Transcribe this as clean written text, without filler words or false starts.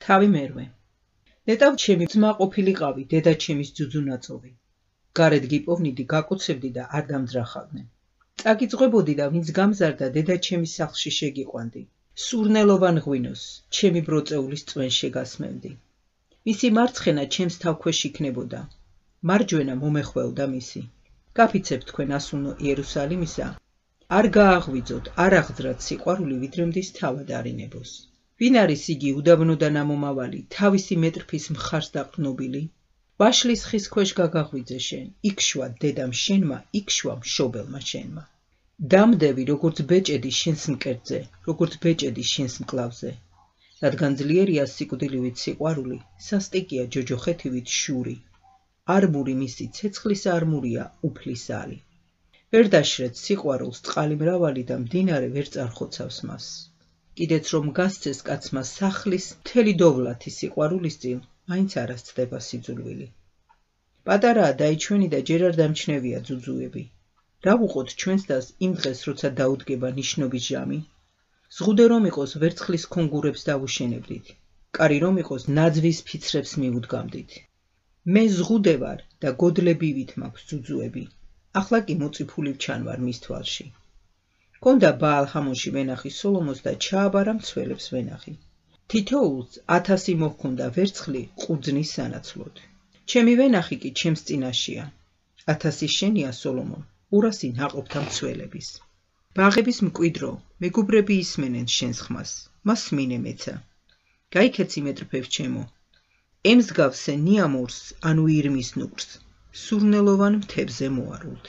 თავი მერვე. ნეტავ ჩემი ძმა ყოფილიყავი, დედა ჩემის ძუძუნაწოვი. გარეთ გიპოვნიდი, გაკოცებდი და არ დამძრახავდნენ. წაგიძღვებოდი და ვინც გამზარდა, დედა ჩემის სახლში შეგიყვანდი. სურნელოვან ღვინოს, ჩემი ბროწეულის წვენ შეგასმევდი. მისი მარცხენა ჩემს თავქვეშ იქნებოდა. მარჯვენა მომეხვეოდა მისი. გაფიცებ თქვენ ასულნო იერუსალიმისა, არ გააღვიძოთ, არ აღძრათ სიყვარული, ვიდრემდის თავად არინებოს. ვინ არის იგი უდაბნოდან ამომავალი, თავისი მეტრფის მხარს დაყრნობილი? ვაშლის ხის ქვეშ გაგაღვიძე შენ, იქშვა დედამ შენმა, იქშვა მშობელმა შენმა. დამდევი, როგორც ბეჭედი შენს მკერდზე, როგორც ბეჭედი შენს მკლავზე. რადგან ძლიერია სიკვდილივით სიყვარული, სასტიკია ჯოჯოხეთივით შური. არმური მისი ცეცხლის არმურია, უფლის ალი. ვერ დაშრეთ სიყვარულს წყალი მრავალი და მდინარე ვერ წარხოცავს მას. კიდეც რომ გასცეს კაცმა სახლის მთელი დოვლათი სიყვარულის წინ, მაინც არ ასწდება სიძულვილი. პატარაა დაიჩვენი და ჯერ არ დამჩნევია ძუძუები. რა ვუყოთ ჩვენს დას იმ დღეს, როცა დაუდგება ნიშნობის ჟამი? ზღუდე რომ იყოს ვერცხლის ქონგურებს დავუშენებდით. კარი რომ იყოს ნაძვის ფიცრებს მიუდგამდით. მე ზღუდე ვარ და გოდლებივით მაქვს ძუძუები. ახლა კი მოწიფული ვჩანვარ მის თვალში. გონდა ბაალ-ჰამონში ვენახი სოლომონს და ჩააბარა მცველებს ვენახი. თითოეულს 1000 მოჰქონდა ვერცხლი ყურძნის სანაცვლოდ. ჩემი ვენახი კი ჩემს წინაშია. 1000 შენია სოლომონ, 200 ნაყოფთა მცველების. ბაღების მკვიდრო, მეგობრები ისმენენ შენს ხმას, მას მინე მეცა. გაიქეცი მეტრფებს ჩემო. ემსგავსე ნიამორს, ანუ ირმის ნუკრს, სურნელოვან მთებზე მოარულთ.